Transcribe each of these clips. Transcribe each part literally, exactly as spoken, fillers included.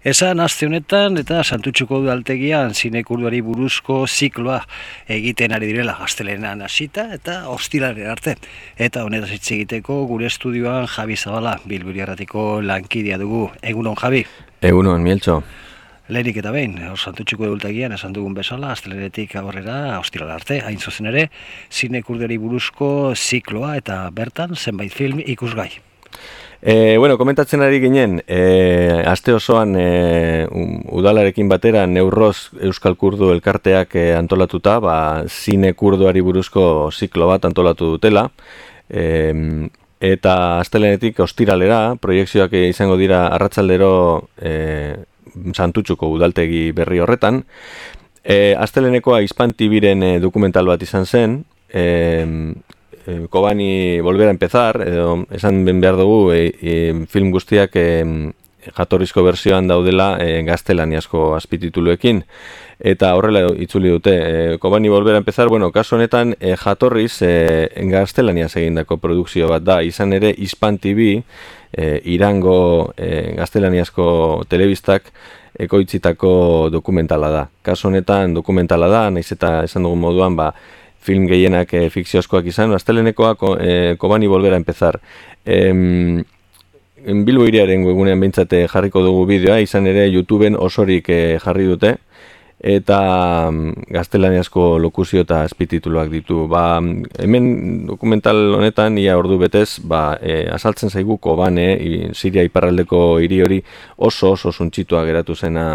Esan aste honetan eta Santutxuko udaltegian zinekurduari buruzko zikloa egiten ari direla gaztelenan hasita eta ostiralera arte. Eta honetaz hitz egiteko gure estudioan Javi Zabala, Bilburi Irratiko lankidea dugu. Egunon, Javi. Egunon, Mieltxo. Lehenik eta behin, Santutxuko udaltegian esan dugun bezala, asteleretik aurrera ostiralera arte, hain zuzen ere, zinekurduari buruzko zikloa eta bertan zenbait film ikusgai. E, bueno, komentatzen ari ginen, e, aste osoan e, udalarekin batera Neurroz Euskal Kurdu elkarteak e, antolatuta, ba, zine kurduari buruzko ziklo bat antolatu dutela, e, eta astelenetik ostiralera, proiekzioak izango dira arratsaldero e, Santutxuko udaltegi berri horretan. E, astelenekoa Hispan T V-ren e, dokumental bat izan zen, e, Kobani volver a empezar, edo esan ben behar dugu, e, e, film guztiak e, jatorrizko bersioan daudela e, gaztelaniazko azpitituluekin, eta horrela itzuli dute. E, Kobani volver a empezar, bueno, kasu honetan e, jatorriz e, gaztelaniaz egindako produkzio bat da, izan ere Hispan T V, e, Irango e, gaztelaniazko telebistak ekoitzitako dokumentala da. Kasu honetan dokumentala da, naiz eta esan dugun moduan, ba, film gehienak e, fikziozkoak izan, astelenekoa e, Kobani volver a empezar. E, Bilbo hiriaren webunean behintzate jarriko dugu bideoa, izan ere YouTubeen osorik e, jarri dute, eta gaztelaniazko lokuzio eta azpitituluak ditu. Ba, hemen dokumental honetan, ia ordu betez, ba, e, azaltzen zaigu Kobane, i, Siria iparraldeko hiri hori oso oso suntxitua geratu zena,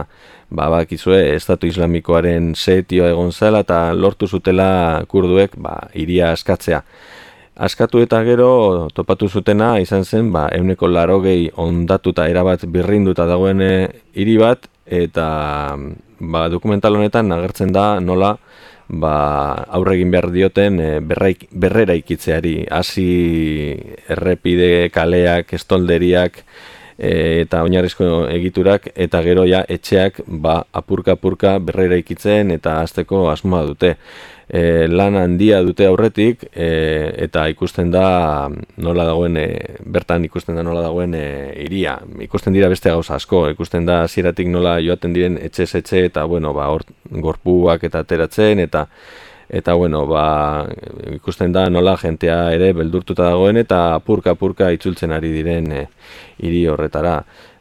ba, bakizue, Estatu Islamikoaren setioa egon zela eta lortu zutela kurduek, ba, hiria askatzea. Askatu eta gero topatu zutena izan zen, ba, ehuneko laurogei ondatuta erabat birrinduta dagoen hiri bat, eta ba, dokumental honetan agertzen da nola ba, aurre egin behar dioten e, berraik, berrera ikitzeari, hasi errepide, kaleak, estolderiak, eta oinarrizko egiturak, eta gero ja etxeak ba, apurka-apurka berrera ikitzen eta hasteko asmoa dute. E, lan handia dute aurretik, e, eta ikusten da nola dagoen, e, bertan ikusten da nola dagoen e, iria. Ikusten dira beste gauza asko, ikusten da hasieratik nola joaten diren etxez etxe, eta bueno, ba, or, gorpuak eta ateratzen, eta Eta, bueno, ba, ikusten da nola jentea ere beldurtuta dagoen eta apurka-apurka itzultzen ari diren e, hiri horretara.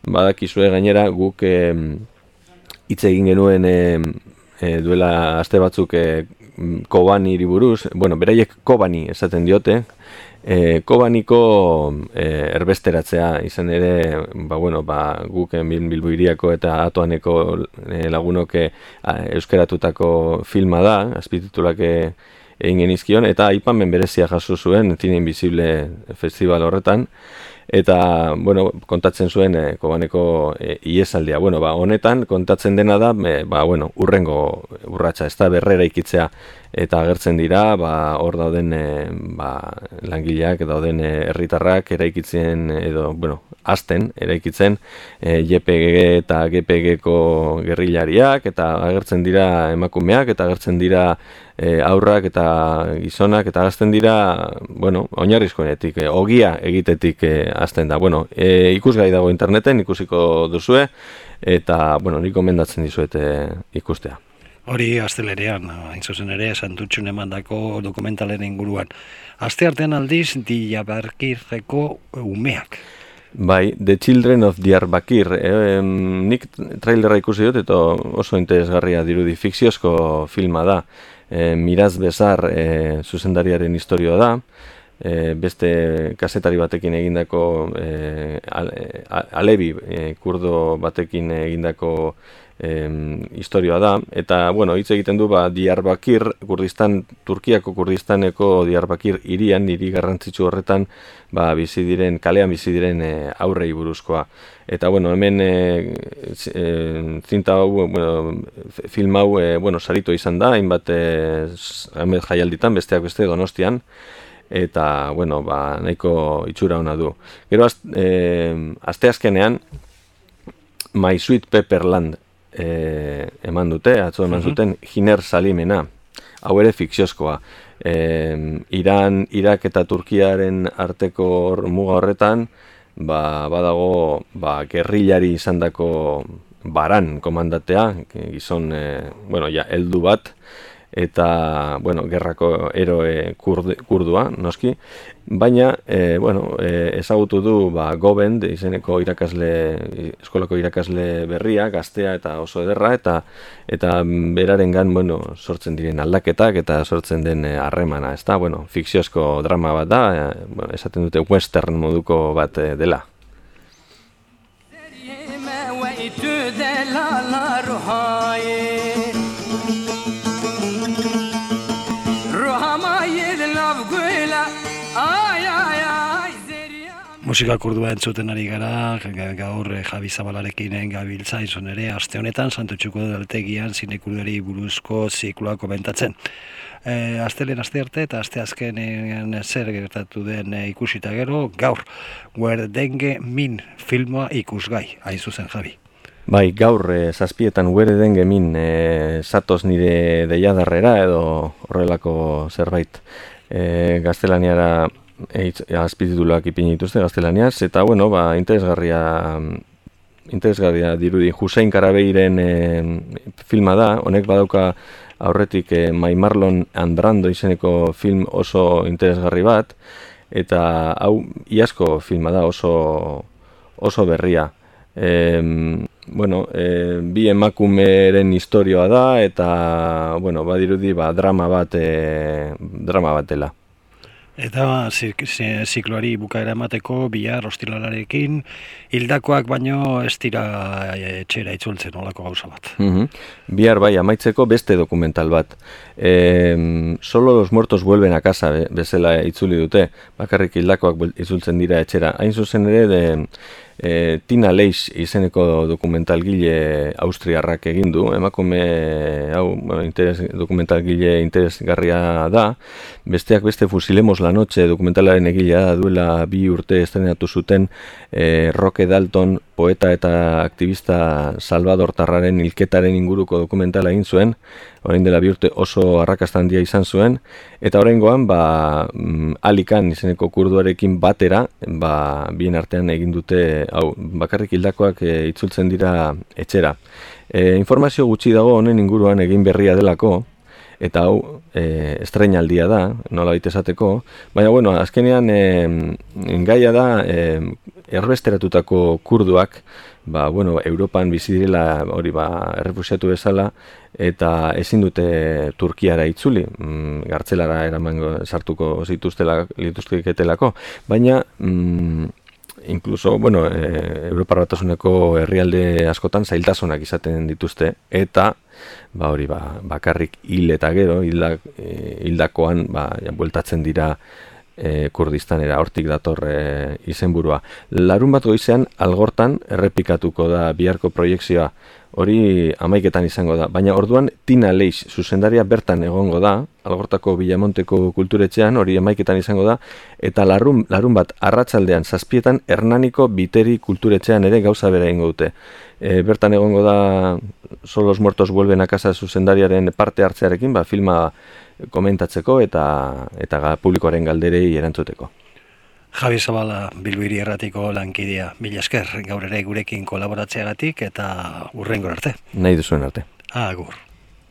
Badakizue gainera guk hitz e, egin genuen e, e, duela aste batzuk e, Kobani hiri buruz, bueno, beraiek Kobani esaten diote, e, Kobaniko e, erbesteratzea izan ere, ba, bueno, ba, guk Bilbo hiriako eta Atoaneko e, lagunok e, euskeratutako filma da, azpititulak egin genizkion, eta aipamen berezia jaso zuen Cine Invisible festival horretan, eta, bueno, kontatzen zuen e, Kobaneko e, iesaldia. Bueno, ba, honetan kontatzen dena da, e, ba, bueno, urrengo urratsa, ez da berrera ikitzea, eta agertzen dira, ba, hor dauden e, ba, langileak, dauden e, herritarrak eraikitzen, edo, bueno, hasten eraikitzen, e, J P G eta G P G-ko gerrilariak, eta agertzen dira emakumeak, eta agertzen dira e, aurrak eta gizonak, eta agertzen dira, bueno, oinarrizkoenetik, e, ogia egitetik e, hasten da. Bueno, e, ikusgai dago interneten, ikusiko duzue, eta, bueno, nik gomendatzen dizuet e, ikustea. Hori astelerean, hain zuzen ere, Santutxun emandako dokumentalen inguruan. Aste artean aldiz, Diyarbakirreko umeak. Bai, The Children of Diyarbakir. E, nik trailerra ikusi dut, eta oso interesgarria dirudi, fikziozko filma da. E, Miraz Bezar e, zuzendariaren historioa da. E, beste kazetari batekin egindako e, Alebi e, kurdo batekin egindako e, historioa da, eta bueno, hitz egiten du ba, Diyarbakir, Kurdistan, Turkiako Kurdistaneko Diyarbakir hirian, hiri garrantzitsu horretan ba, bizi diren, kalean bizi diren e, aurrei buruzkoa. Eta bueno, hemen e, e, zinta hau, bueno, film hau e, bueno, sarito izan da, hainbat e, jaialditan, besteak beste Donostian, eta, bueno, ba, nahiko itxura ona du. Gero, az, e, asteazkenean, My Sweet Pepperland e, eman dute, atzo eman zuten, Hiner Salimena, hau ere fikziozkoa. E, Iran, Irak eta Turkiaren arteko muga horretan, ba, badago ba, gerrilari izandako baran komandatea, gizon, e, bueno, ja, heldu bat, eta, bueno, gerrako eroe kurd, kurdua, noski, baina, e, bueno, e, ezagutu du, ba, Gobend, izeneko irakasle, eskolako irakasle berria, gaztea eta oso ederra, eta eta berarengan, bueno, sortzen diren aldaketak eta sortzen den harremana, ez da, bueno, fikziozko drama bat da, e, bueno, esaten dute western moduko bat e, dela. Musika kurdua entzuten ari gara, gaur Javi Zabalarekin gabiltza izan ere, aste honetan Santutxuko Udaltegian zine kurduari buruzko zikloa komentatzen. E, astelen aste arte eta aste azkenean zer gertatu den e, ikusita gero, gaur Where Denge Min filma ikusgai, hain zuzen Javi. Bai, gaur e, zazpietan Where Denge Min e, zatoz nire deiadarrera edo horrelako zerbait e, gaztelaniara azpitituluak ipini dituzte gaztelaniaz, eta bueno, ba, interesgarria interesgarria dirudi Hussein Karabeiren e, filma da, honek badauka aurretik e, My Marlon and Brando izeneko film oso interesgarri bat, eta hau iazko filma da, oso oso berria. E, bueno, e, bi emakumeren historioa da, eta bueno, badirudi ba, drama bat e, drama bat dela. Eta zikloari bukaera emateko bihar ostiralarekin hildakoak baino ez dira etxera itzultzen olako gauza bat. Mm-hmm. Bihar bai amaitzeko beste dokumental bat. E, solo los muertos vuelven a casa be, bezala itzuli dute, bakarrik hildakoak itzultzen dira etxera. Hain zuzen ere de E, Tina Leish izeneko dokumentalgile austriarrak egin du, emakume hau interes, dokumentalgile interesgarria da, besteak beste Fusilemos la noche dokumentalaren egilea da, duela bi urte estrenatu zuten e, Roque Dalton, poeta eta aktivista salvadortarraren hilketaren inguruko dokumentala egin zuen, orain dela bi urte oso arrakasta handia izan zuen, eta oraingoan ba, Alikan izeneko kurduarekin batera, ba, bien artean egin dute, hau, bakarrik hildakoak e, itzultzen dira etxera. E, informazio gutxi dago honen inguruan egin berria delako, eta hau e, estreinaldia da, nola baita esateko, baina bueno, azkenean e, gaia da e, erbesteratutako kurduak, ba, bueno, Europan bizi direla hori ba, errefuxiatu bezala, eta ezin dute Turkiara itzuli, mm, gartzelara eramango sartuko zituztela, lituzketelako, baina mm, incluso, bueno, e, Europar Batasuneko herrialde askotan zailtasunak izaten dituzte, eta ba hori ba, bakarrik hil eta gero, hildak, e, hildakoan ba, ja, bueltatzen dira e, Kurdistanera, hortik dator e, izenburua. Larun bat goizean Algortan errepikatuko da biharko proiekzioa, hori amaiketan izango da, baina orduan Tina Leish zuzendaria bertan egongo da, Algortako Villamonteko kulturetxean, hori amaiketan izango da, eta larun, larun bat arratsaldean zazpietan Hernaniko Biteri kulturetxean ere gauza bera egingo dute. E, bertan egongo da Solo los muertos vuelven a casa zuzendariaren parte hartzearekin, ba, filma komentatzeko eta, eta publikoaren galderei erantzuteko. Javi Zabala, Bilbo Hiri Erratiko lankidea, mila esker, gaur ere gurekin kolaboratzeagatik eta hurrengo arte. Nahi duzuen arte. Agur.